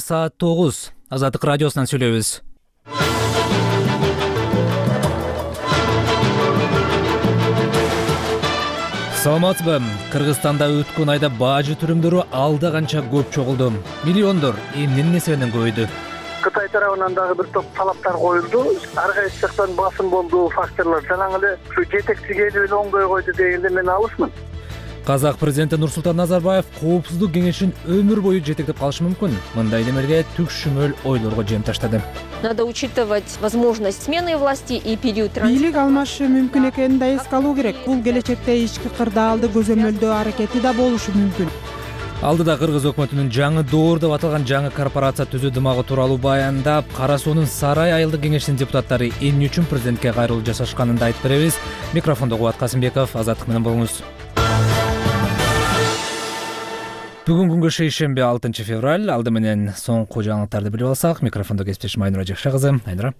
саат 9. Азаттык радиосунан сүйлөйбүз. Саламатсызбы? Кыргызстанда өткөн айда бажы түрүмдөрү алда канча көп чогулду. Миллиондор эмненин эсебинен көбөйдү. Кытай тарабынан дагы бир топ талаптар коюлду. Ар кайсы жактан басым болду, факторлор. Жана эле ушу жетекчи келип эле оңдой койду дегенде мен алысмын. Казак президенти Нурсултан Назарбаев коопсуздук кеңешин өмүр бою жетектеп калышы мүмкүн. Мындай демелге түкшүмөл ойлорго жем таштады. Надо учитывать возможность смены власти и период транзита. Бийлик алмашы мүмкүн экенин да эске алуу керек. Бул келечекте ички кырдаалды көзөмөлдөө аракети да болушу мүмкүн. Алдыда Кыргыз өкмөтүнүн жаңы доор деп аталган жаңы корпорация түзүү дымагы тууралуу баяндап, Кара суунун Сарай айылдык кеңешинин депутаттары эмне үчүн президентке кайрылуу жасашканын да айтып беребиз. Микрофондо Кубат Касымбеков, Азаттык менен болуңуз. Бүгүн күнгө шейшемби 6 февраль. Алды менен соңку жаңылыктарды билип алсак, микрофондо кесиптешим Айнура Жакшы кызы. Айнура.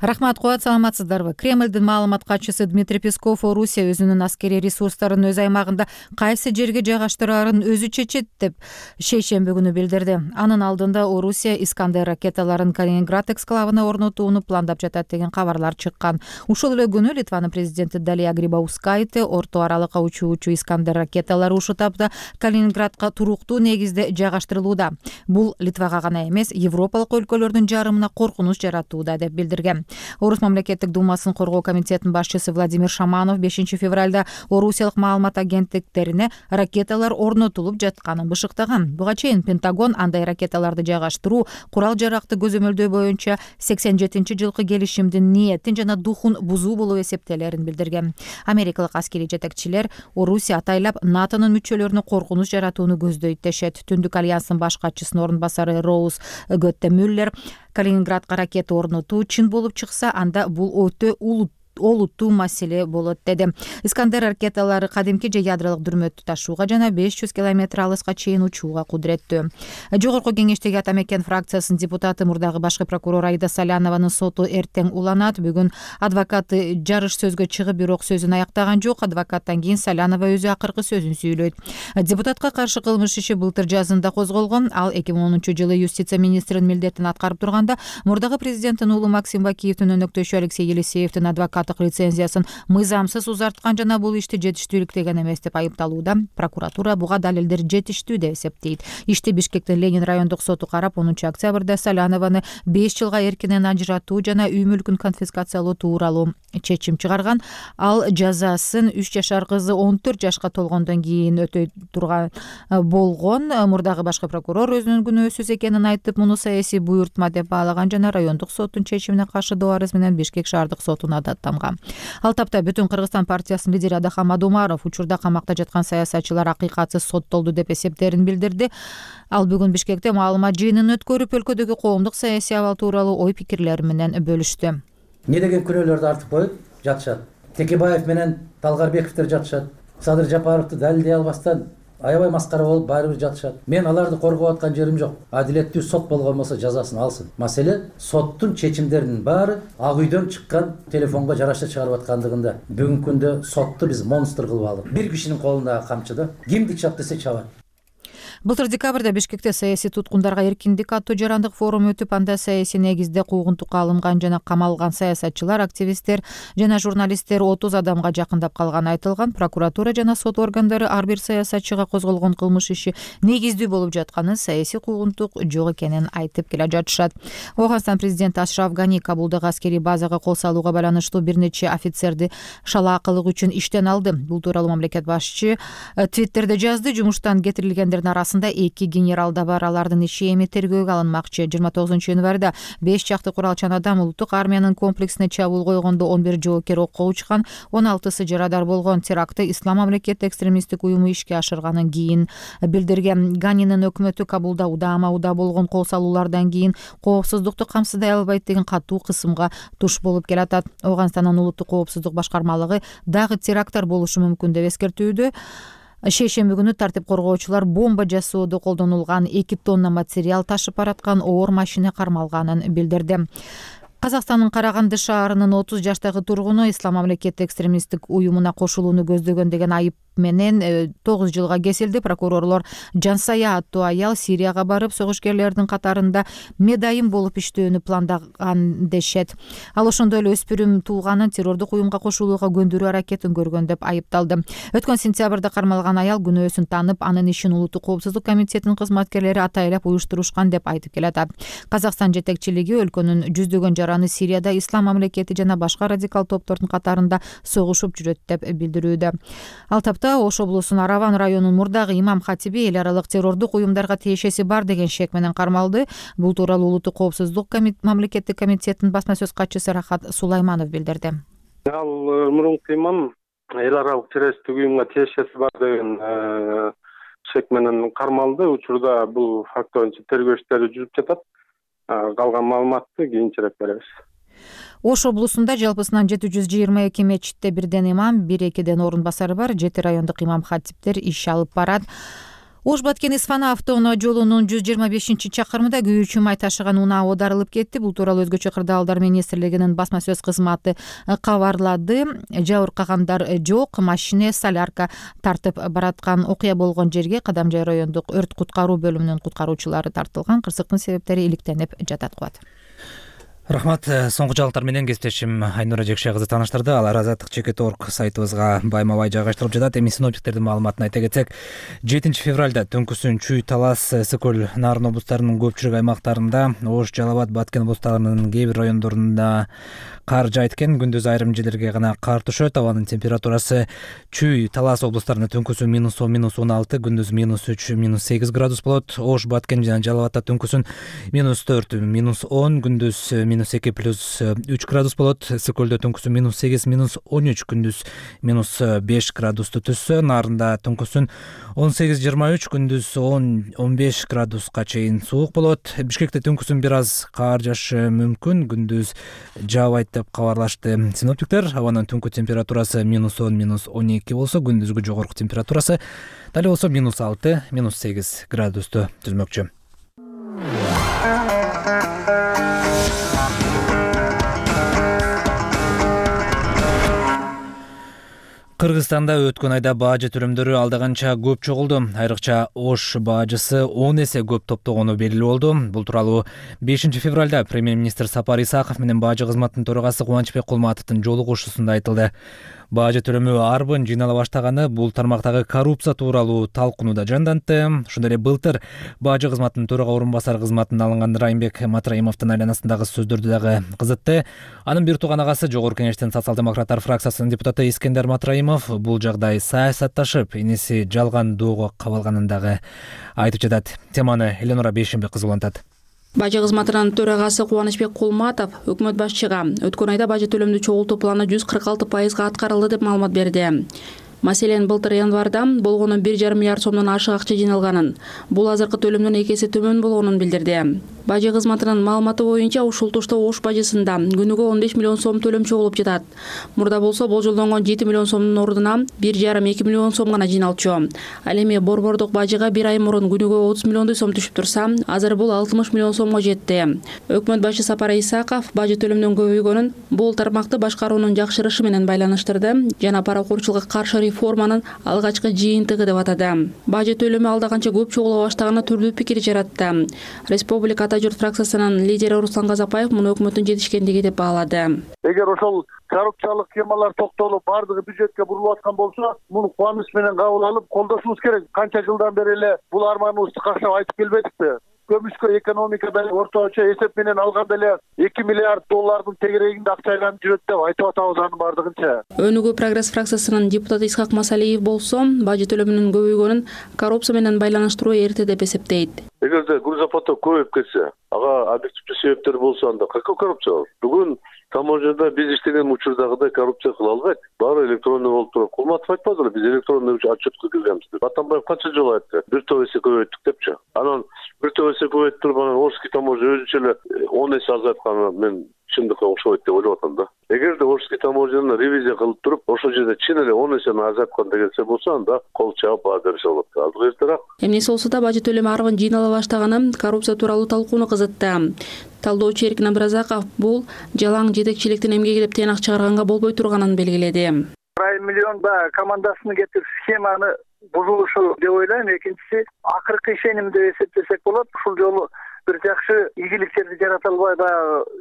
Рахмат, Кубат, саламатсыздарбы? Кремлдин маалымат катчысы Дмитрий Песков Орусия өзүнүн аскерий ресурстарын өз аймагында кайсы жерге жайгаштыраарын өзү чечет деп шейшемби күнү билдирди. Анын алдында Орусия Искандер ракеталарын Калининград эксклавына орнотууну пландап жатат деген кабарлар чыккан. Ушул эле күнү Литванын президенти Далия Грибаускайте орто аралыкка учуучу Искандер ракеталары ушул тапта Калининградка туруктуу негизде жайгаштырылууда. Бул Литвага гана эмес, Европалык өлкөлөрдүн жарымына коркунуч жаратууда деп билдирди. Орус мамлекеттик думасын коргоо комитетинин башчысы Владимир Шаманов 5 февралда Орусиялык маалымат агенттиктерине ракеталар орнотулуп жатканын бышыктаган. Буга чейин Пентагон андай ракеталарды жайгаштыруу курал-жаракты көзөмөлдөө боюнча 87-жылкы келишимдин ниетин жана духун бузуу болуп эсептелерин билдирген. Америкалык аскерий жетекчилер Орусия атайлап НАТОнун мүчөлөрүнө коркунуч жаратууну көздөйт дешет. Түндүк альянстын баш катчысынын орун басары Роуз Götte-Müller Калининградка ракета орнотуу чын болуп чыкса, анда бул өтө олуттуу маселе болот деди. Искандер ракеталары кадимки же ядролук дүрмөттү ташууга жана 500 километр алыска чейин учууга кудуреттүү. Жогорку кеңештеги Ата Мекен фракциясынын депутаты, мурдагы башкы прокурор Аида Салянованын соту эртең уланат. Бүгүн адвокаты жарыш сөзгө чыгып, бирок сөзүн аяктаган жок. Адвокаттан кийин Салянова өзү акыркы сөзүн сүйлөйт. Депутатка каршы кылмыш иши былтыр жазында козголгон. Ал 2010-жылы юстиция министринин милдетин аткарып турганда, мурдагы президенттин уулу Максим Бакиевдин өнөктөшү Алексей Елисеевдин адвокаты лицензиясын мыйзамсыз узарткан жана бул ишти жетиштүүлүктөгөн эмес деп айыпталууда. Прокуратура буга далилдер жетиштүү деп эсептейт. Ишти Бишкектин Ленин райондук соту карап, 10 октябрда Салянованы 5 жылга эркинен ажыратуу жана үй мүлкүн конфискациялоо тууралуу чечим чыгарган. Ал жазасын 3 жашар кызы 14 жашка толгондон кийин өтөй турган болгон. Мурдагы башкы прокурор өзүнүн күнөөсүз экенин айтып, муну саясий буйртма деп баалаган жана райондук соттун чечимине каршы доо арыз менен Бишкек шаардык сотуна даттанган. Ал тапта Бүтүн Кыргызстан партиясынын лидери Адахам Адумаров учурда камакта жаткан саясатчылар акыйкатсыз соттолду деп эсептерин билдирди. Ал бүгүн Бишкекте маалымат жыйынын өткөрүп, өлкөдөгү коомдук саясий абал тууралуу ой пикирлери менен бөлүштү. Не деген күнөөлөрдү артып коюп жатышат. Текебаев менен Талгарбековдер жатышат. Садыр Жапаровду далилдей албастан аябай маскара болуп баары бир жатышат. Мен аларды коргоп аткан жерим жок. Адилеттүү сот болгон болсо жазасын алсын. Маселе соттун чечимдеринин баары Ак үйдөн чыккан телефонго жараша чыгарып аткандыгында. Бүгүнкү күндө сотту биз монстр кылып алдык. Бир кишинин колундагы камчыда кимди чап десе чабат. Былтыр декабрда Бишкекте саясий туткундарга эркиндик аттуу жарандык форум өтүп, анда саясий негизде куугунтукка алынган жана камалган саясатчылар, активисттер жана журналисттер 30 адамга жакындап калганы айтылган. Прокуратура жана сот органдары ар бир саясатчыга козголгон кылмыш иши негиздүү болуп жатканын, саясий куугунтук жок экенин айтып келе жатышат. Ооганстан президенти Ашраф Гани Кабулдагы аскерий базага кол салууга байланыштуу бир нече офицерди шалаакылык үчүн иштен алды. Бул тууралуу мамлекет башчы Твиттерде жазды. Жумуштан кетирилгендердин арасында 2 генерал да бар. Алардын иши эми тергөөгө алынмакчы. 29 январда 5 жакты куралчан адам улуттук армиянын комплексине чабуул койгондо 11 жоокер окко учкан, 16сы жарадар болгон. Терактты Ислам мамлекети экстремисттик уюму ишке ашырганын кийин билдирген. Ганинин өкмөтү Кабулда удаа болгон кол салуулардан кийин коопсуздукту камсыздай албайт деген катуу кысымга туш болуп келатат. Ооганстандын улуттук коопсуздук башкармалыгы дагы теракттар болушу мүмкүн деп эскертүүдө. Шейшемби күнү тартип коргоочулар бомба жасоодо колдонулган 2 тонна материал ташып бараткан оор машина кармалганын билдирди. Казакстандын Караганды шаарынын 30 жаштагы тургуну Ислам мамлекети экстремисттик уюмуна кошулууну көздөгөн деген айып менен 9 жылга кесилди. Прокурорлор Жансая аттуу аял Сирияга барып, согушкерлердин катарында медайым болуп иштөөнү пландаган дешет. Ал ошондой эле өспүрүм туулганын террордук уюмга кошулууга көндүрүү аракетин көргөн деп айыпталды. Өткөн сентябрда кармалган аял күнөөсүн танып, анын ишин Улуттук коопсуздук комитетинин кызматкерлери атайлап уюштурушкан деп айтып келатат. Казакстан жетекчилиги өлкөнүн жүздөгөн жараны Сирияда ислам мамлекети жана башка радикал топтордун катарында согушуп жүрөт деп билдирүүдө. Ал тапта Ош облусунун Араван районунун мурдагы имам хатиби эл аралык террордук уюмдарга тиешеси бар деген шек менен кармалды. Бул тууралуу Улуттук коопсуздук мамлекеттик комитетинин басма сөз катчысы Рахат Сулайманов билдирди. Ал мурунку имам эл аралык террористтик уюмга тиешеси бар деген шек менен кармалды. Учурда бул факт боюнча тергөө иштери жүрүп жатат. Калган маалыматты кийинчерээк беребиз. Ош облусунда жалпысынан 722 мечитте бирден имам, 1-2ден орун басары бар, 7 райондук имам хатиптер иш алып барат. Ош Баткен Исфана автоунаа жолунун 125-чакырымында күйүүчү май ташыган унаа оодарылып кетти. Бул тууралуу Өзгөчө кырдаалдар министрлигинин басма сөз кызматы кабарлады. Жабыркагандар жок. Машина солярка тартып бараткан. Окуя болгон жерге Кадамжай райондук өрт куткаруу бөлүмүнүн куткаруучулары тартылган. Кырсыктын себептери иликтенип жатат. Рахмат. Соңку жаңылыктар менен кесиптешим Айнура Жекше кызы тааныштырды. Алар Азаттык.org сайтыбызга байма-бай жайгаштырылып жатат. Эми синоптиктердин маалыматын айта кетсек, 7 февралда түнкүсүн Чүй, Талас, Сыкөл, Нарын облустарынын көпчүлүк аймактарында, Ош, Жалал Абад, Баткен облустарынын кээ бир райондорунда кар жаайткен. Күндүз айрым жерлерге гана кар түшөт. Абанын температурасы Чүй, Талас облустарында түнкүсүн -10, -16, күндүз -3, -8 градус болот. Ош, Баткен жана Жалал Абадта түнкүсүн -4, -10, күндүз -2 плюс 3 градус болот. Сыкөлдө түнкүсүн -8, -13, күндүз -5 градусту түзсө, Нарында түнкүсүн 18-23, күндүз 10-15 градуска чейин суук болот. Бишкекте түнкүсүн бир аз кар жаашы мүмкүн, күндүз жаабайт деп кабарлашты синоптиктер. Абанын түнкү температурасы -10, -12 болсо, күндүзгү жогорку температурасы дали болсо -6, -8 градусту түзмөкчү. Кыргызстанда өткөн айда бажы төлөмдөрү алдаганча көп чогулду. Айрыкча Ош бажысы 10 эсе көп топтогону белгилүү болду. Бул тууралуу 5 февралда премьер-министр Сапар Исаков менен бажы кызматынын төрагасы Кубанычбек Кулматовдун жолугушуусунда айтылды. Бажы төлөмү арбын жыйнала баштаганы бул тармактагы коррупция тууралуу талкуунуда жандантты. Ошондой эле былтыр бажы кызматынын төрага орун басары кызматына алынган Райымбек Матраимовдун айланасындагы сөздөрдү дагы кызытты. Анын бир тууган агасы Жогорку Кеңештин социал-демократтар фракциясынын депутаты Искендер Матраимов бул жагдай саясатташып, иниси жалган доого кабылганын дагы айтып жатат. Теманы Эленора Бейшенбек кызы улантат. Бажы кызматынын төрагасы Кубанычбек Кулматов өкмөт башчыга өткөн айда бажы төлөмдү чогултуу планы 146% аткарылды деп маалымат берди. Маселен, былтыр январда болгону 1,5 миллиард сомдон ашык акча жыйналганын, бул азыркы төлөмдөн 2 эсе төмөн болгонун билдирди. Бажы кызматынын маалыматы боюнча ушул тушта Ош бажысында күнүгө 15 миллион сом төлөм чогулуп жатат. Мурда болсо болжолдонгон 7 миллион сомдун ордуна 1,5-2 миллион сом гана жыйналчу. Ал эми борбордук бажыга бир ай мурун күнүгө 30 миллиондой сом түшүп турса, азыр бул 60 миллион сомго жетти. Өкмөт башы Сапар Исаков бажы төлөмдөн көбөйгөнүн бул тармакты башкаруунун жакшырышы менен байланыштырды жана паракурчулукка каршы реформанын алгачкы жыйынтыгы деп атады. Бажы төлөмү алдаганча көп чогула баштаганы түрдүү пикир жаратты. Республика Ата журт фракциясынын лидери Руслан Казакбаев муну өкмөттүн жетишкендиги деп баалады. Эгер ошол коррупциялык схемалар токтолуп, бардыгы бюджетке бурулуп аткан болсо, муну кубаныч менен кабыл алып, колдошубуз керек. Канча жылдан бери эле бул арманыбызды кактап айтып келбедикпи? Көмүскө экономикада орточо эсеп менен алганда эле 2 миллиард доллардын тегерегинде акча айланып жүрөт деп айтып атабыз анын бардыгынча. Өнүгүү прогресс фракциясынын депутаты Исхак Масалиев болсо, бажы төлөмүнүн көбөйгөнүн коррупция менен байланыштыруу эрте деп эсептейт. Эгерде грузопоток көбөйүп кетсе, ага объективдүү себептер болсо, анда какой коррупция бар? Бүгүн таможняда биз иштеген учурдагыдай коррупция кыла албайт. Баары электронный болуп туруп. Кулматов айтпадыбы, биз электронный отчетко киргенбиз деп. Атамбаев канча жолу айтты? Бир топ эсе көбөйттүк депчи. Анан бир топ эсе көбөйтүп туруп, анан Орский таможня өзүнчө эле 10 эсе азайтканы мен чындыкка окшобойт деп ойлоп атам да. Эгерде Орский таможняны ревизия кылып туруп, ошол жерде чын эле 10 эсени азайткан келсе болсо, анда кол чаап баа берише болот. Азыр эртерээк. Эмнеси болсо да бажы төлөмү арбын жыйнала баштаганы коррупция тууралуу талкууну кызытты. Талдоочу Эркин Абразаков бул жалаң жетекчиликтин эмгеги деп тыйнак чыгарганга болбой турганын белгиледи. Айрым миллион командасыны кетирип схеманы бузулушу деп ойлойм. Экинчиси акыркы ишеним деп эсептесек болот. Ушул жолу бир жакшы ийгиликтерди жарата албай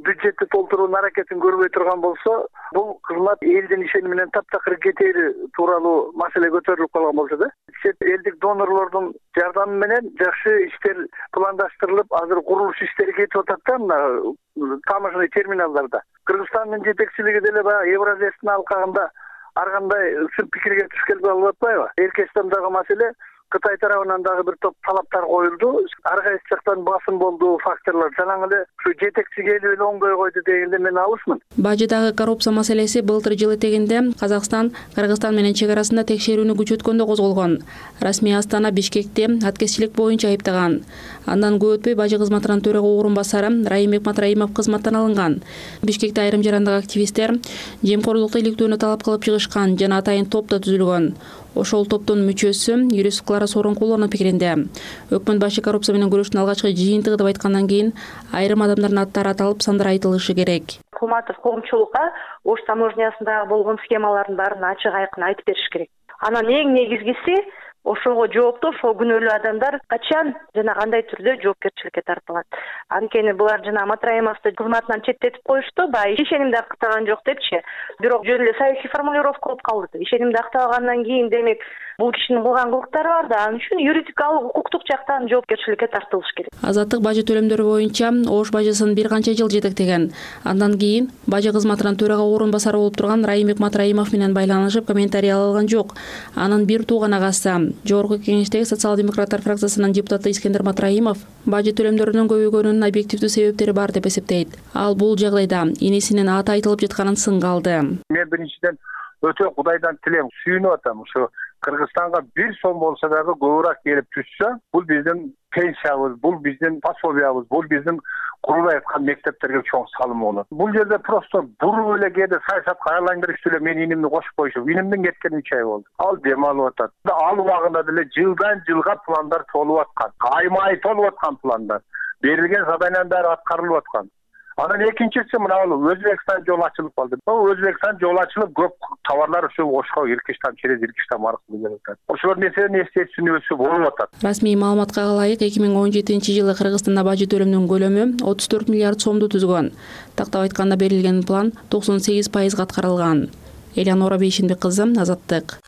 бюджетти толтуруунун аракетин көрбөй турган болсо, бул кызмат элдин ишени менен таптакыр кетери тууралуу маселе көтөрүлүп калган болчу да. Чет элдик донорлордун жардамы менен жакшы иштер пландаштырылып, азыр курулуш иштери кетип атат да мына таможенный терминалдарда. Кыргызстандын жетекчилиги деле Евразиялык алкагында ар кандай сын пикирге туш келбей алып атпайбы? Эркечтендагы маселе Кытай тарабынан дагы бир топ талаптар коюлду. Ар кайсы жактан басым болду факторлор. Жанагы эле ушу жетекчи келип эле оңдой койду дегенде мен алысмын. Бажыдагы коррупция маселеси былтыр жыл этегинде Казакстан Кыргызстан менен чек арасында текшерүүнү күчөткөндө козголгон. Расмий Астана Бишкекти аткезчилик боюнча айыптаган. Андан көп өтпөй бажы кызматынын төрага орун басары Раимбек Матраимов кызматтан алынган. Бишкекте айрым жарандык активисттер жемкорлукту иликтөөнү талап кылып чыгышкан жана атайын топ да түзүлгөн. Ошол топтун мүчөсү юрист Клара Сооронкулованын пикиринде өкмөт башы коррупция менен күрөштүн алгачкы жыйынтыгы деп айткандан кийин айрым адамдардын аттары аталып сандары айтылышы керек. Кулматов коомчулукка Ош таможнясындагы болгон схемалардын баарын ачык айкын айтып бериш керек. Анан эң негизгиси ошого жооптуу, ошол күнөөлүү адамдар качан жана кандай түрдө жоопкерчиликке тартылат. Анткени булар жана Матраимовду кызматынан четтетип коюшту, ишенимди актаган жок депчи. Бирок жөн эле саясий формулировка болуп калды. Ишенимди актагандан кийин демек бул кишинин кылган кылыктары бар да, анын үчүн юридикалык, укуктук жактан жоопкерчиликке тартылыш керек. Азаттык бажы төлөмдөрү боюнча Ош бажысын бир канча жыл жетектеген. Андан кийин бажы кызматынын төрага орун басары болуп турган Раимбек Матраимов менен байланышып комментарий ала алган жок. Анын бир тууган агасы Жогорку Кеңештеги социал-демократтар фракциясынын депутаты Искендер Матраимов бажы төлөмдөрүнүн көбөйгөнүнүн объективдүү себептери бар деп эсептейт. Ал бул жагдайда энесинин аты айтылып жатканын сынга алды. Мен биринчиден өтө Кудайдан тилем, сүйүнүп атам. Ушу Кыргызстанга бир сом болсо дагы көбүрөөк келип түшсө, бул биздин пенсиябыз, бул биздин пособиябыз, бул биздин курулай аткан мектептерге чоң салым болот. Бул жерде просто буруп эле кээде саясатка айландырып эле мен инимди кошуп коюшуп, инимдин кеткени 3 ай болду. Ал дем алып атат. Ал убагында деле жылдан жылга пландар толуп аткан, аймай толуп аткан пландар. Берилген заданиянын баары аткарылып аткан. Анан экинчиси мына Өзбекстан жолу ачылып калды. Өзбекстан жолу ачылып көп товарлар ушу Ошко Иркиштан через Иркиштан аркылуу келип атат. Ошол нерсени эстей түшүнүүсү болуп атат. Расмий маалыматка ылайык 2017-жылы Кыргызстанда бажы төлөмүнүн көлөмү 34 миллиард сомду түзгөн. Тактап айтканда берилген план 98% аткарылган. Элеонора Бейшенбек кызы, Азаттык.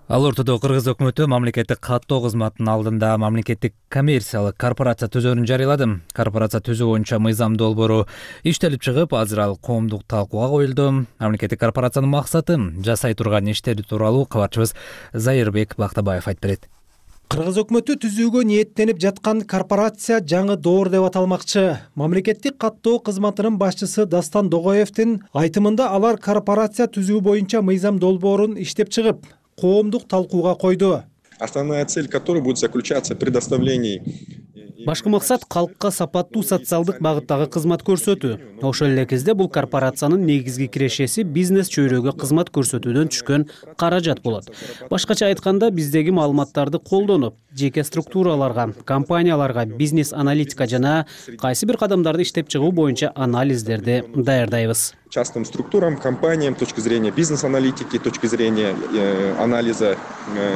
Ал ортодо Кыргыз өкмөтү мамлекеттик каттоо кызматынын алдында мамлекеттик коммерциялык корпорация түзөөрүн жарыялады. Корпорация түзүү боюнча мыйзам долбоору иштелип чыгып, азыр ал коомдук талкууга коюлду. Мамлекеттик корпорациянын максаты жасай турган иштери тууралуу кабарчыбыз Зайырбек Бактабаев айтып берет. Кыргыз өкмөтү түзүүгө ниеттенип жаткан корпорация жаңы доор деп аталмакчы. Мамлекеттик каттоо кызматынын башчысы Дастан Догоевдин айтымында алар корпорация түзүү боюнча мыйзам долбоорун иштеп чыгып, коомдук талкууга койду. Основная цель которой будет заключаться в предоставлении. Башкы максат калкка сапаттуу социалдык багыттагы кызмат көрсөтүү. Ошол эле кезде бул корпорациянын негизги кирешеси бизнес чөйрөгө кызмат көрсөтүүдөн түшкөн каражат болот. Башкача айтканда, биздеги маалыматтарды колдонуп, жеке структураларга, компанияларга бизнес аналитика жана кайсы бир кадамдарды иштеп чыгуу боюнча анализдерди даярдайбыз. Частным структурам, компаниям, с точки зрения бизнес-аналитики, с точки зрения анализа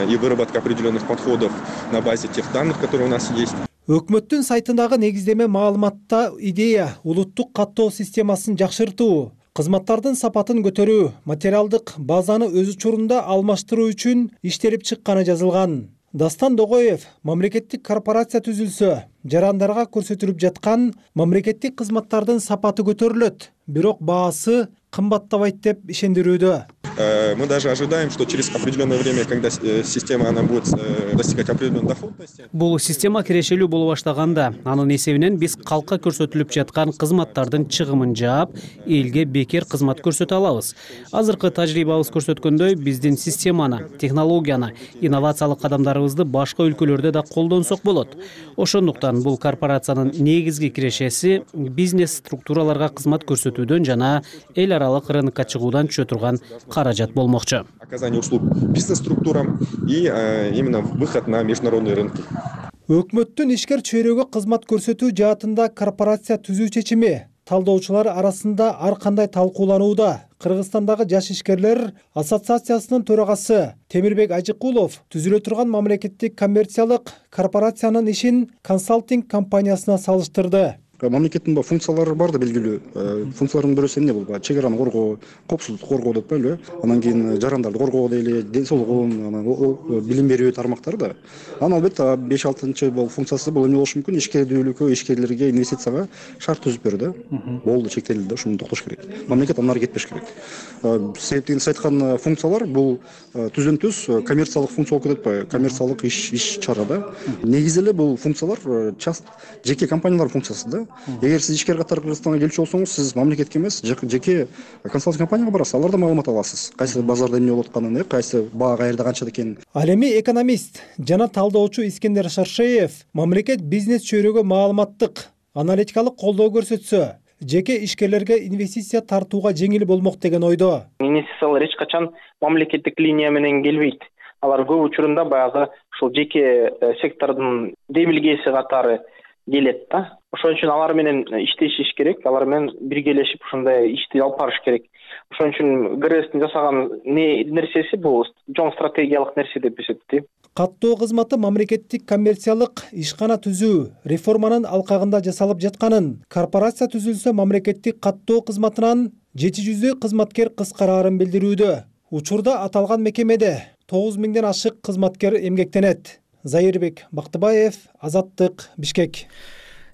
и выработки определенных подходов на базе тех данных, которые у нас есть. Өкмөттүн сайтындагы негиздеме маалыматта идея улуттук каттоо системасын жакшыртуу, кызматтардын сапатын көтөрүү, материалдык базаны өз учурунда алмаштыруу үчүн иштелип чыкканы жазылган. Дастан Догоев мамлекеттик корпорация түзүлсө, жарандарга көрсөтүлүп жаткан мамлекеттик кызматтардын сапаты көтөрүлөт, бирок баасы кымбаттабайт деп ишендирүүдө. Мы даже ожидаем, что через определенное время, когда система она будет достигать определенной доходности. Бул система кирешелүү боло баштаганда, анын эсебинен биз калкка көрсөтүлүп жаткан кызматтардын чыгымын жаап, элге бекер кызмат көрсөтө алабыз. Азыркы тажрыйбабыз көрсөткөндөй, биздин системаны, технологияны, инновациялык кадамдарыбызды башка өлкөлөрдө да колдонсок болот. Ошондуктан бул корпорациянын негизги кирешеси бизнес структураларга кызмат көрсөтүүдөн жана эл аралык рынокко чыгуудан түшө турган каражат болмокчу. Оказание услуг бизнес-структурам и именно выход на международные рынки. Өкмөттүн ишкер чөйрөгө кызмат көрсөтүү жаатында корпорация түзүү чечими талдоочулар арасында ар кандай талкууланууда. Кыргызстандагы жаш ишкерлер ассоциациясынын төрагасы Темирбек Ажыкулов түзүлө турган мамлекеттик коммерциялык корпорациянын ишин консалтинг компаниясына салыштырды. Мамлекеттин функциялары бар да белгилүү. Функциялардын бирөөсү эмне бул? Чек араны коргоо, коопсуздукту коргоо деп коелу. Анан кийин жарандарды коргоо дейли, ден соолугун, билим берүү тармактары да. Анан албетте 5-6 бул функциясы бул эмне болушу мүмкүн? Ишкердүүлүккө, ишкерлерге, инвестицияга шарт түзүп берди. Болду, чектелди, ушуну токтош керек. Мамлекет андан ары кетпеш керек. Себептен сиз айткан функциялар бул түздөн түз коммерциялык функция болуп кетет атпайбы? Коммерциялык иш чара да. Негизи эле бул функциялар жеке компаниялардын функциясы да. Эгер сиз ишкер катары Кыргызстанга келчү болсоңуз, сиз мамлекетке эмес, жеке консалтинг компанияга барасыз, алардан маалымат аласыз. Кайсы базарда эмне болуп атканын, кайсы баа каерде канча экенин. Ал эми экономист жана талдоочу Искендер Шаршеев мамлекет бизнес чөйрөгө маалыматтык, аналитикалык колдоо көрсөтсө, жеке ишкерлерге инвестиция тартууга жеңил болмок деген ойдо. Инвестициялар эч качан мамлекеттик линия менен келбейт. Алар көп учурунда баягы ушул жеке сектордун демилгеси катары келет да. Ошон үчүн алар менен иштешиш керек, алар менен биргелешип ушундай ишти алып барыш керек. Ошон үчүн ГРСтин жасаган нерсеси бул чоң стратегиялык нерсе деп эсептейм. Каттоо кызматы мамлекеттик коммерциялык ишкана түзүү реформанын алкагында жасалып жатканын, корпорация түзүлсө мамлекеттик каттоо кызматынан 700 кызматкер кыскараарын билдирүүдө. Учурда аталган мекемеде 9000ден ашык кызматкер эмгектенет. Зайырбек Бактыбаев, Азаттык, Бишкек.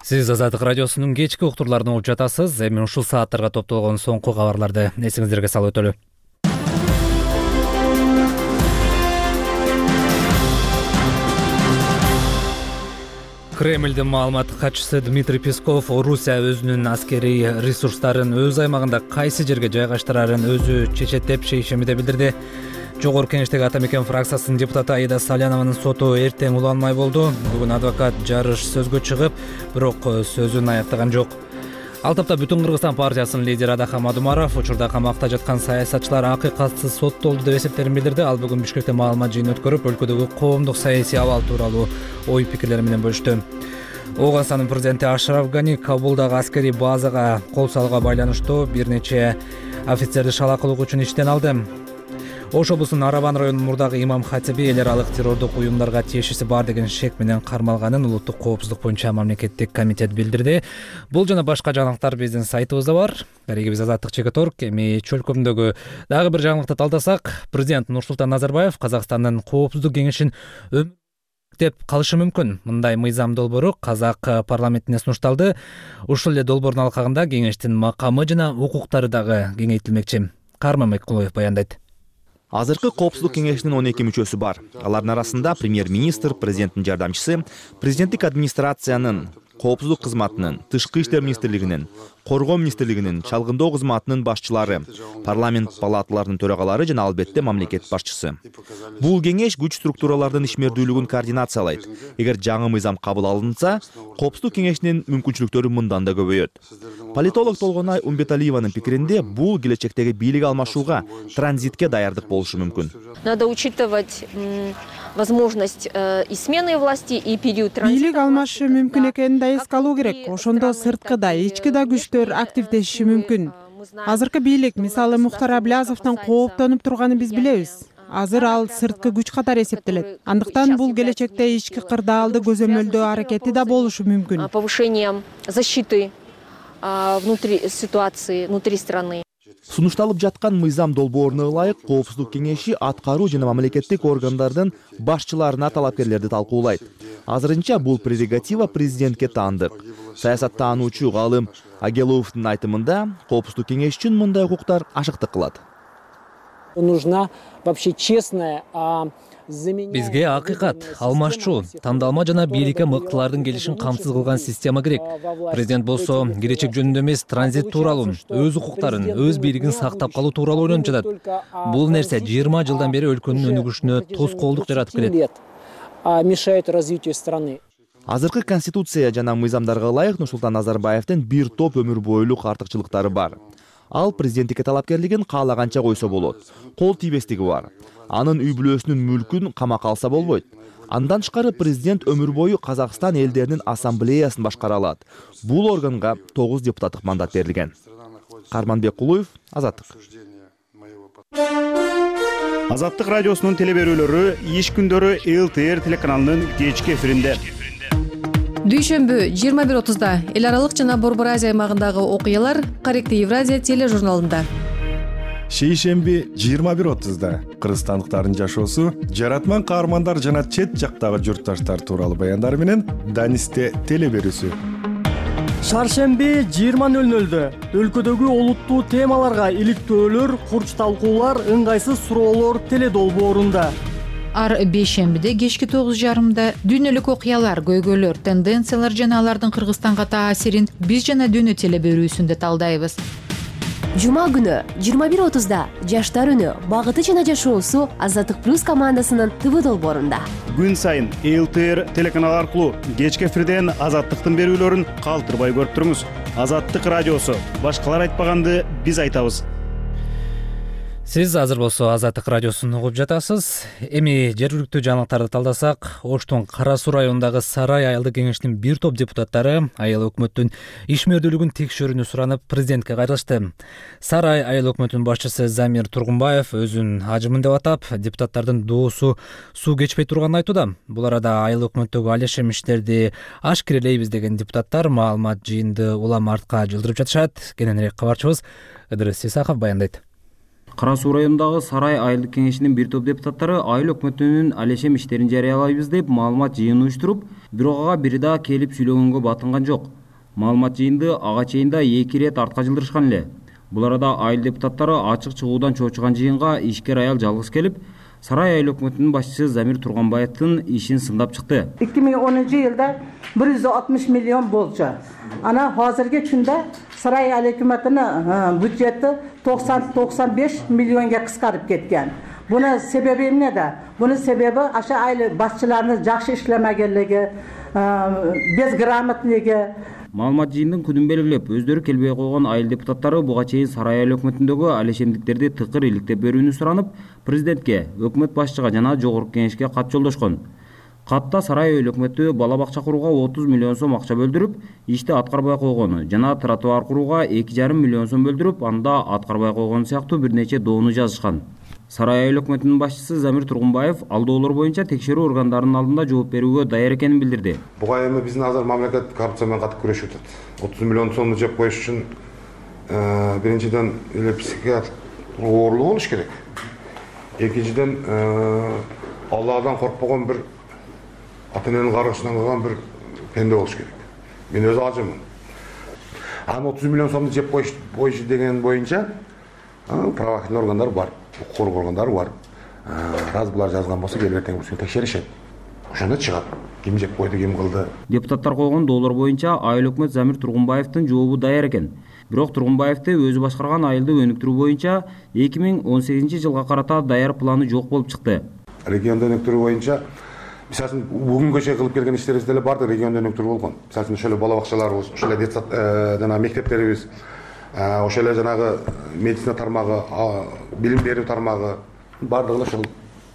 Сиз Азаттык радиосунун кечки уктурларын угуп жатасыз. Эми ушул сааттарга топтолгон соңку кабарларды эсиңиздерге салып өтөлү. Кремлдин маалыматтык катчысы Дмитрий Песков Орусия өзүнүн аскерий ресурстарын өз аймагында кайсы жерге жайгаштырарын өзү чечет деп шейшембиде билдирди. Жогорку Кеңештеги Ата Мекен фракциясынын депутаты Аида Салянованын соту эртең уланмай болду. Бүгүн адвокат жарыш сөзгө чыгып, бирок сөзүн аяктаган жок. Ал тапта Бүтүн Кыргызстан партиясынын лидери Адахам Адумаров учурда камакта жаткан саясатчылар акыйкатсыз соттолду деп эсептерин билдирди. Ал бүгүн Бишкекте маалымат жыйыны өткөрүп, өлкөдөгү коомдук саясий абал тууралуу ой пикирлери менен бөлүштү. Ооганстандын президенти Ашраф Гани Кабулдагы аскерий базага кол салууга байланыштуу бир нече офицерди шалакылык үчүн иштен алды. Ош облусунун Арабан районунун мурдагы имам хатиби эл аралык террордук уюмдарга тиешеси бар деген шек менен кармалганын улуттук коопсуздук боюнча мамлекеттик комитет билдирди. Бул жана башка жаңылыктар биздин сайтыбызда бар. Дарегибиз Азаттык ЧК.орг. Эми чөлкөмдөгү дагы бир жаңылыкты талдасак, президент Нурсултан Назарбаев Казакстандын коопсуздук кеңешин деп калышы мүмкүн. Мындай мыйзам долбоору казак парламентине сунушталды. Ушул эле долбоордун алкагында кеңештин макамы жана укуктары дагы кеңейтилмекчи. Карман Меккулоев баяндайт. Азыркы коопсуздук кеңешинин 12 мүчөсү бар. Алардын арасында премьер-министр, президенттин жардамчысы, президенттик администрациянын, коопсуздук кызматынын, тышкы иштер министрлигинин, коргоо министрлигинин, чалгындоо кызматынын башчылары, парламент палаталарынын төрагалары жана албетте мамлекет башчысы. Бул кеңеш күч структуралардын ишмердүүлүгүн координациялайт. Эгер жаңы мыйзам кабыл алынса, коопсуздук кеңешинин мүмкүнчүлүктөрү мындан да көбөйөт. Политолог Толгонай Умбеталиеванын пикиринде, бул келечектеги бийлик алмашууга, транзитке даярдык болушу мүмкүн. Надо учитывать возможность и смены власти, и период транзита. Бийлик алмашы мүмкүн экенин да эске алуу керек. Ошондо сырткы да, ички да күчтөр активдешиши мүмкүн. Азыркы бийлик, мисалы Мухтар Аблязовдон кооптонуп турганын биз билебиз. Азыр ал сырткы күч катары эсептелет. Андыктан бул келечекте ички кырдаалды көзөмөлдөө аракети да болушу мүмкүн. Повышением защиты внутри ситуации, внутри страны. Сунушталып жаткан мыйзам долбооруна ылайык коопсуздук кеңеши аткаруу жана мамлекеттик органдардын башчыларына талапкерлерди талкуулайт. Азырынча бул прерогатива президентке таандык. Саясаттануучу Галым Агеловдун айтымында, коопсуздук кеңеш үчүн мындай укуктар ашыктык кылат. Нужна вообще честная, Бизге акыйкат, алмашчу, тандалма жана бийликке мыктылардын келишин камсыз кылган система керек. Президент болсо келечек жөнүндө эмес, транзит тууралуу, өз укуктарын, өз бийлигин сактап калуу тууралуу ойлонуп жатат. Бул нерсе 20 жылдан бери өлкөнүн өнүгүшүнө тоскоолдук жаратып келет. Мешает развитию страны. Азыркы конституция жана мыйзамдарга ылайык Нурсултан Назарбаевдин бир топ өмүр бойлук артыкчылыктары бар. Ал президенттикке талапкерлигин каалаганча койсо болот. Кол тийбестиги бар. Анын үй бүлөсүнүн мүлкүн камакка алса болбойт. Андан тышкары президент өмүр бою Казакстан элдеринин ассамблеясын башкара алат. Бул органга 9 депутаттык мандат берилген. Карманбек Кулуев, Азаттык. Азаттык радиосунун телеберүүлөрү иш күндөрү ЛТР телеканалынын кечки эфиринде. Дүйшөмбү 21:30-да эл аралык жана Борбор Азия аймагындагы окуялар Корректив Евразия тележурналында. Шейшемби 21:30-да кыргызстандыктардын жашоосу, жаратман каармандар жана чет жактагы журтташтар тууралуу баяндар менен Данисте телеберүүсү. Шаршемби 20:00-дө өлкөдөгү олуттуу темаларга иликтөөлөр, курч талкуулар, ыңгайсыз суроолор теледолбоорунда. Ар бейшембиде кечки 9:30-да дүйнөлүк окуялар, көйгөйлөр, тенденциялар жана алардын Кыргызстанга таасирин биз жана дүйнө телеберүүсүндө талдайбыз. Жума күнү 21:30-да жаштар үнү, багыты жана жашоосу Азаттык плюс командасынын ТВ долбоорунда. Күн сайын ЛТР телеканалы аркылуу кечки эфирден Азаттыктын берүүлөрүн калтырбай көрүп туруңуз. Азаттык радиосу. Башкалар айтпаганды биз айтабыз. Сиз азыр болсо Азаттык радиосун угуп жатасыз. Эми жергиликтүү жаңылыктарды талдасак, Оштун Кара Суу районундагы Сарай айылдык кеңешинин бир топ депутаттары айыл өкмөттүн ишмердүүлүгүн текшерүүнү суранып президентке кайрылышты. Сарай айыл өкмөтүнүн башчысы Замир Тургунбаев өзүн ажымын деп атап, депутаттардын доосу суу кечпей турганын айтууда. Бул арада айыл өкмөттөгү алешем иштерди ашкерелейбиз деген депутаттар маалымат жыйынды улам артка жылдырып жатышат. Кененирээк кабарчыбыз Ыдырыс Исаков баяндайт. Кара Суу районундагы Сарай айылдык кеңешинин бир топ депутаттары айыл өкмөтүнүн алешем иштерин жарыялайбыз деп маалымат жыйын уюштуруп, бирок ага бири да келип сүйлөгөнгө батынган жок. Маалымат жыйынды ага чейин да 2 ирет артка жылдырышкан эле. Бул арада айыл депутаттары ачык чыгуудан чоочуган жыйынга ишкер аял жалгыз келип, Сарай айыл өкмөтүнүн башчысы Замир Тургунбаевдин ишин сындап чыкты. 2010-жылда 160 миллион болчу. Ана азыркы күндө Сарай айыл өкмөтүнүн бюджети 90-95 миллионго кыскарып кеткен. Буну себеби эмнеде? Буну себеби аша айыл башчыларынын жакшы иштемегенлиги, безграмотнолугу. Маалымат жыйындын күнүн белгилеп, өздөрү келбей койгон айыл депутаттары буга чейин Сарай айыл өкмөтүндөгү алешемдиктерди тыкыр иликтеп берүүнү суранып, президентке, өкмөт башчыга жана жогорку кеңешке кат жолдошкон. Катта Сарай айыл өкмөтү бала бакча курууга 30 миллион сом акча бөлдүрүп, ишти аткарбай койгону жана тротуар курууга 2,5 миллион сом бөлдүрүп, анда аткарбай койгону сыяктуу бир нече доону жазышкан. Сарай айыл өкмөтүнүн башчысы Замир Тургунбаев алдоолор боюнча текшерүү органдарынын алдында жооп берүүгө даяр экенин билдирди. Буга эми биздин азыр мамлекет коррупция менен катып күрөшүп атат. 30 миллион сомду жеп коюш үчүн биринчиден эле психиатр оорлук болуш керек. Экинчиден Алладан коркпогон бир ата-эненин каргышынан калган бир пенде болуш керек. Мен өзү ажымын. Аны 30 миллион сомду жеп коюш деген боюнча правоохранительный органдар бар, укук коргоо органдары бар. Раз булар жазган болсо келип эртең бул текшеришет. Ошондо чыгат. Ким жеп койду, ким кылды. Депутаттар койгон доолор боюнча айыл өкмөт Замир Тургунбаевдин жообу даяр экен. Бирок Тургунбаевди өзү башкарган айылды өнүктүрүү боюнча 2018-жылга карата даяр планы жок болуп чыкты. Регионду өнүктүрүү боюнча мисалы үчүн бүгүнгө чейин кылып келген иштерибиз деле барды, регионду өнүктүрүү болгон. Мисалы үчүн ошол бала бакчаларыбыз, ошол детсад жана мектептерибиз, ошол жанагы медицина тармагы, билим берүү тармагы бардыгы ошол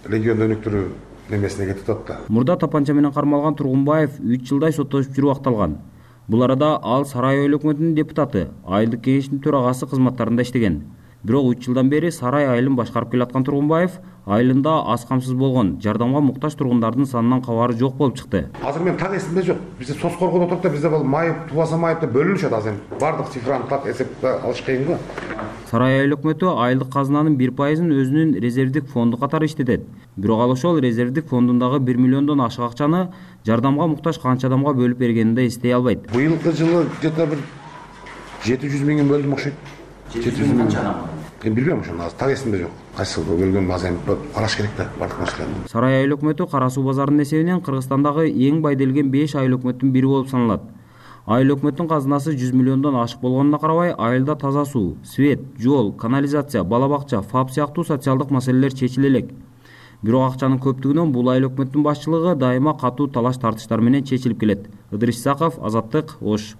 регионду өнүктүрүү немесине кетип атат. Мурда тапанча менен кармалган Тургунбаев 3 жылдай соттошуп жүрүп акталган. Бул арада ал Сарай айыл өкмөтүнүн депутаты, айылдык кеңештин төрагасы кызматтарында иштеген. Бирок 3 жылдан бери Сарай айылын башкарып келаткан Тургунбаев айылында аз камсыз болгон, жардамга муктаж тургундардын санынан кабары жок болуп чыкты. Азыр мен так эсимде жок. Бизде соц коргоодо отурат да, бизде бул майып, тубаса майып деп бөлүнүшөт азыр. Бардык цифраны так эсепке алыш кыйын го. Сарай айыл өкмөтү айылдык казынанын 1%-ын өзүнүн резервдик фонду катары иштетет. Бирок ал ошол резервдик фондундагы 1 миллиондон ашык акчаны жардамга муктаж канча адамга бөлүп бергенин да эстей албайт. Быйылкы жылы где-то бир 700 миңин бөлдүм окшойт. 700 миң. Мен билбейм ошону, так эсимде жок. Кайсы бөлгөн азыр караш керек да бардык нерселерди. Сарай айыл өкмөтү Кара Суу базарынын эсебинен Кыргызстандагы эң бай делген 5 айыл өкмөттүн бири болуп саналат. Айыл өкмөттүн казынасы 100 миллиондон ашык болгонуна карабай, айылда таза суу, свет, жол, канализация, бала бакча, ФАП сыяктуу социалдык маселелер чечиле элек. Бирок акчанын көптүгүнөн бул айыл өкмөттүн башчылыгы дайыма катуу талаш тартыштар менен чечилип келет. Ыдырыс Исаков, Азаттык, Ош.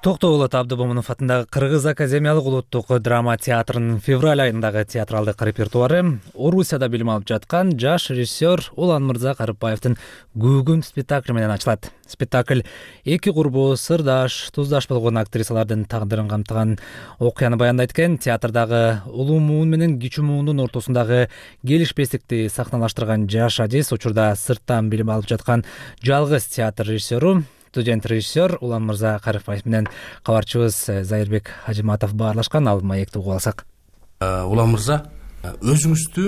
Токтогулот Абдыбомунов атындагы Кыргыз академиялык улуттук драма театрынын февраль айындагы театралдык репертуары Орусияда билим алып жаткан жаш режиссер Уланмырза Карыпбаевдин Гүгүм спектакли менен ачылат. Спектакль эки курбу, сырдаш, туздаш болгон актрисалардын тагдырын камтыган окуяны баяндайт экен. Театрдагы улуу муун менен кичүү муундун ортосундагы келишпестикти сахналаштырган жаш адис учурда сырттан билим алып жаткан жалгыз театр режиссеру, студент режиссер Уланмырза Карыпбаев менен кабарчыбыз Зайырбек Ажиматов баарлашкан. Ал маекти угуп алсак. Уланмырза, өзүңүздү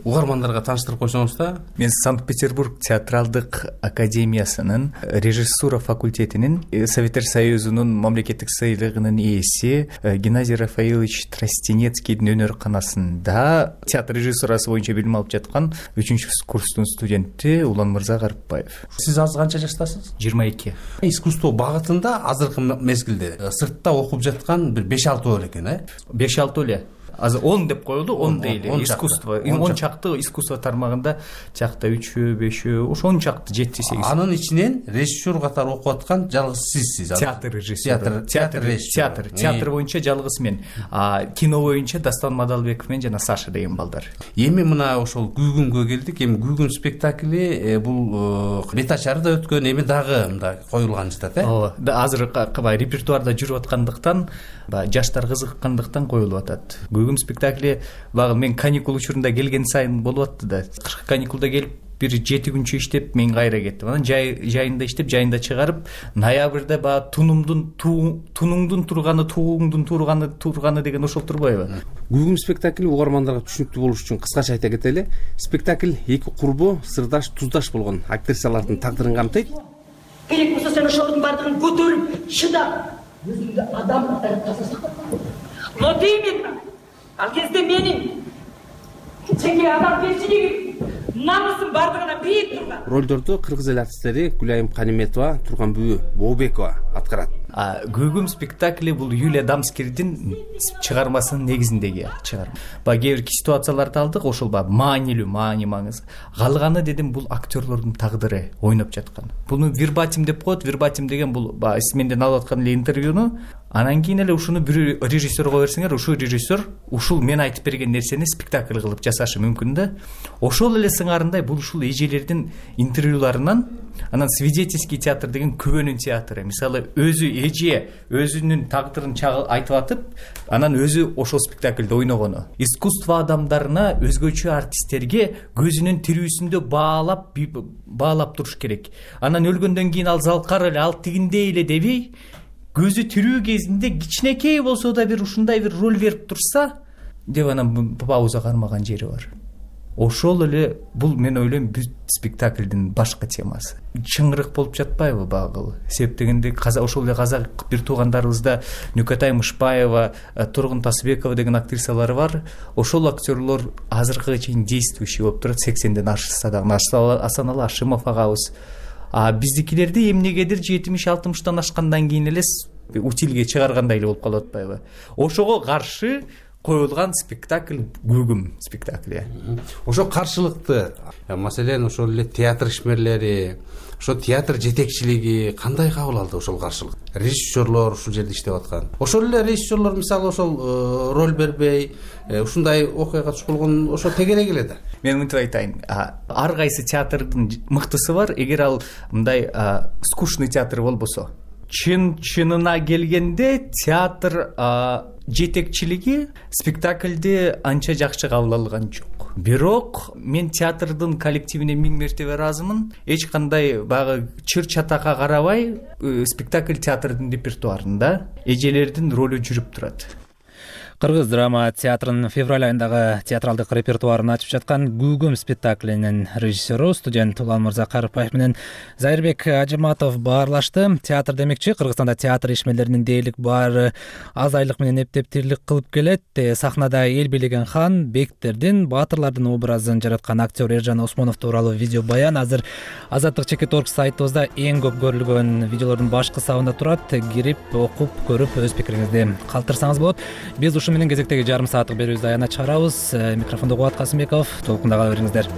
угармандарга тааныштырып койсоңуз да. Мен Санкт-Петербург театралдык академиясынын режиссура факультетинин Советтер Союзунун мамлекеттик сыйлыгынын ээси Геннадий Рафаилович Тростенецкийдин өнөрканасында театр режиссурасы боюнча билим алып жаткан 3-курстун студенти Уланмырза Карыпбаев. Сиз азыр канча жаштасыз? 22. Искусство багытында азыркы мезгилде сыртта окуп жаткан бир 5-6 эле экен, 5-6 эле. Азыр 10 деп коюлду, 10 дейли. Искусство, 10 чакты искусство тармагында чакта 3, 5, ошо 10 чакты 7-8. Анын ичинен режиссер катары окуп аткан жалгыз сизсиз. Театр режиссеру. Театр боюнча жалгыз мен. Кино боюнча Дастан Мадалбеков менен жана Саша деген балдар. Эми мына ошол Гүгүмгө келдик. Эми Гүгүм спектакли бул бет ачары да өткөн, эми дагы мындай коюлган жатат, Ооба. Азыр репертуарда жүрүп аткандыктан, жаштар кызыккандыктан коюлуп атат. Гүгүм спектакли багы мен каникул учурунда келген сайын болуп атты да. Кышкы каникулда келип бир 7 күнчө иштеп мен кайра кеттим. Анан жайында иштеп, жайында чыгарып, ноябрда баягы тунуңдун турганы деген ошол турбайбы? Гүгүм спектакли угармандарга түшүнүктүү болуш үчүн кыскача айта кетели. Спектакль эки курбу, сырдаш, туздаш болгон актрисалардын тагдырын камтыйт. Керек болсо сен ошолордун бардыгын көтөрүп, чыдап, өзүңдү адам катары жасасаң. Но деймин, ал кезде менин жеке адамгерчилигим, намысым бардыгына бийик турган. Ролдорду кыргыз эл артисттери Гүлайым Каниметова, Турганбүбү Бообекова аткарат. Гүгүм спектакли бул Юлия Дамскирдин чыгармасынын негизиндеги чыгарма. Кээ бир ситуацияларды алдык, ошол маани маңыз. Калганы дедим бул актерлордун тагдыры ойноп жаткан. Буну вербатим деп коет. Вербатим деген бул менден алып аткан эле интервьюну, анан кийин эле ушуну бир режиссерго берсеңер, ушул режиссер ушул мен айтып берген нерсени спектакль кылып жасашы мүмкүн да. Ошол эле сыңарындай бул ушул эжелердин интервьюларынан, анан свидетельский театр деген күбөнүн театры. Мисалы өзү эже өзүнүн тагдырын айтып атып, анан өзү ошол спектакльде ойногону. Искусство адамдарына, өзгөчө артисттерге көзүнүн тирүүсүндө баалап туруш керек. Анан өлгөндөн кийин ал залкар эле, ал тигиндей эле дебей, көзү тирүү кезинде кичинекей болсо да бир ушундай бир роль берип турса, деп анан пауза кармаган жери бар. Ошол эле бул мен ойлойм бүт спектаклдин башкы темасы. Чыңырык болуп жатпайбы багыл? Себеп дегенде ошол эле казак бир туугандарыбызда Нүкөтай Мышбаева, Тургун Тасыбекова деген актрисалар бар. Ошол актерлор азыркыга чейин действующий болуп турат. 80ден ашса дагы Асаналы Ашимов агабыз. Биздикилерди эмнегедир 70-60тан ашкандан кийин эле утилге чыгаргандай эле болуп калып атпайбы? Ошого каршы коюлган спектакль Гүгүм спектакли. Ошо каршылыкты, маселен ошол эле театр ишмерлери, ошо театр жетекчилиги кандай кабыл алды ошол каршылык? Режиссерлор ушул жерде иштеп аткан. Ошол эле режиссерлор мисалы ошол роль бербей, ушундай окуяга туш болгон ошо тегерек эле да. Мен мынтип айтайын, ар кайсы театрдын мыктысы бар. Эгер ал мындай скучный театр болбосо, чынына келгенде театр жетекчилиги спектакльди анча жакшы кабыл алган жок. Бирок мен театрдын коллективине 1000 мертебе ыраазымын. Эч кандай багы чыр чатакка карабай спектакль театрдын репертуарында эжелердин ролу жүрүп турат. Кыргыз драма театрынын февраль айындагы театралдык репертуарын ачып жаткан Гүгүм спектаклинин режиссеру, студент Уланмырза Карыпбаев менен Зайырбек Ажиматов баарлашты. Театр демекчи, Кыргызстанда театр ишмерлеринин дээрлик баары аз айлык менен эптеп тирлик кылып келет. Сахнада эл бийлеген хан, бектердин, баатырлардын образын жараткан актер Эржан Осмонов тууралуу видео баян азыр Азаттык.org сайтыбызда эң көп көрүлгөн видеолордун башкы сабында турат. Кирип, окуп, көрүп, өз пикириңизди калтырсаңыз болот. Биз менен кезектеги жарым сааттык берүүбүздү аянат чыгарабыз. Микрофондо Кубат Касымбеков. Толкунда кала бериңиздер.